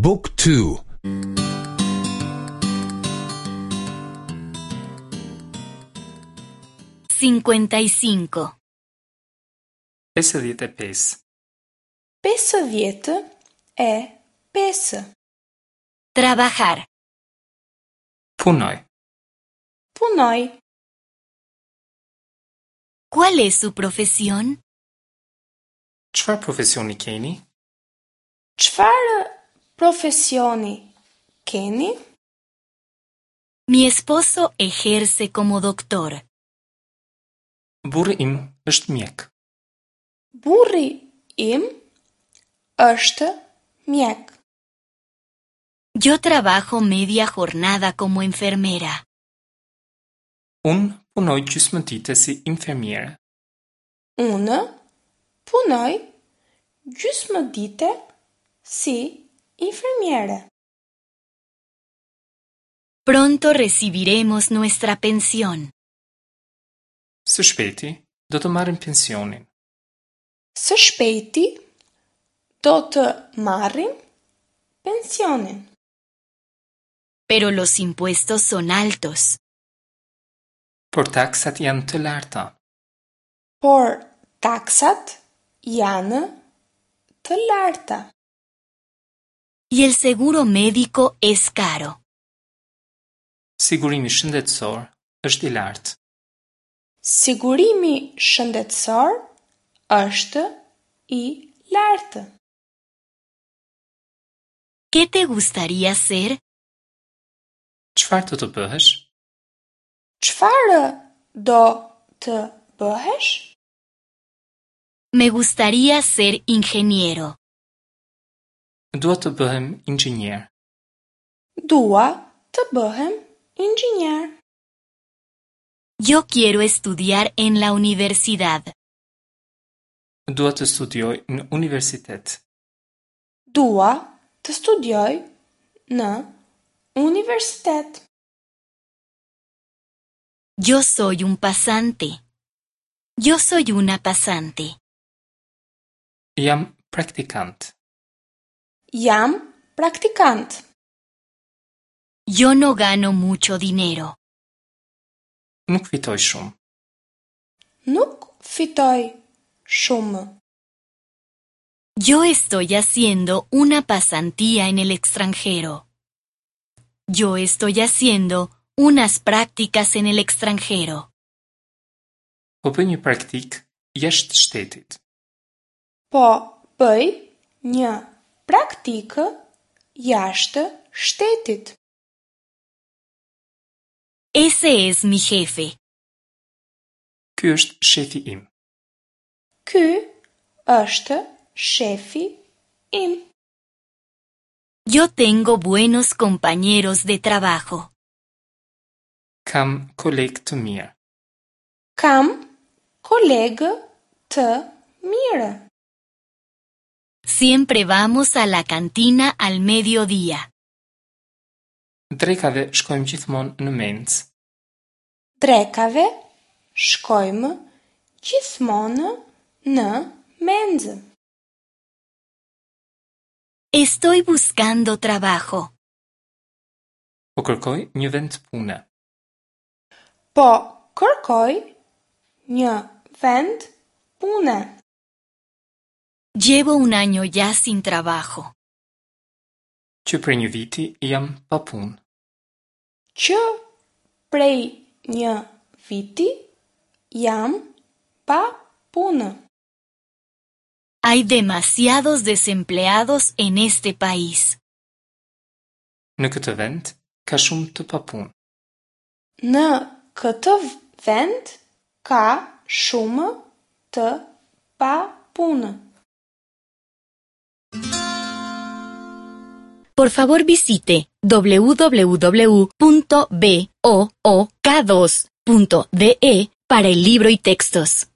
บุ๊กทู 55. 55. 55. Trabajar. Punoj. Punoj. ¿Cuál es su profesión? Çfarë profesioni keni? Çfarë profesioni keni? Mi esposo ejerce como doctor. Burri im është mjek. Burri im është mjek. Yo trabajo media jornada como enfermera. Unë punoj gjysmë dite si infermiere. Unë punoj gjysmë dite si infermiere. Pronto recibiremos nuestra pensión. Së shpejti do të marrim pensionin. Së shpejti do të marrim pensionin. Pero los impuestos son altos. Por taksat janë të larta. Por taksat janë të larta. Y el seguro médico es caro. Sigurimi shëndetësor është i lartë. Sigurimi shëndetësor është i lartë. ¿Qué te gustaría ser? Çfarë do të bëhesh? Çfarë do të bëhesh? Me gustaría ser ingeniero. Dua të bëhem inxhinier. Dua të bëhem inxhinier. Yo quiero estudiar en la universidad. Dua të studioj në universitet. Dua të studioj në universitet. Yo soy un pasante. Yo soy una pasante. Jam praktikant. Jam praktikant. Yo no gano mucho dinero. Nuk fitoj shumë. Nuk fitoj shumë. Yo estoy haciendo una pasantía en el extranjero. Yo estoy haciendo unas prácticas en el extranjero. Po bëj një praktikë jashtë shtetit. Po bëj një praktikë jashtë shtetit. Ese es mi jefe. Ky është shefi im. Ky është shefi im. Yo tengo buenos compañeros de trabajo. Kam kolegë të mirë. Kam kolegë të mirë. Siempre vamos a la cantina al mediodía. Drekave shkojmë gjithmonë në mencë. Drekave shkojmë gjithmonë në menzë. Estoy buscando trabajo. Po kërkoj një vend pune. Po kërkoj një vend pune. Llevo un año ya sin trabajo. Që prej një viti jam pa punë. Që prej një viti jam pa punë. Hay demasiados desempleados en este país. Në këtë vend ka shumë të papunë. Në këtë vend ka shumë të papunë. Por favor visite www.book2.de para el libro y textos.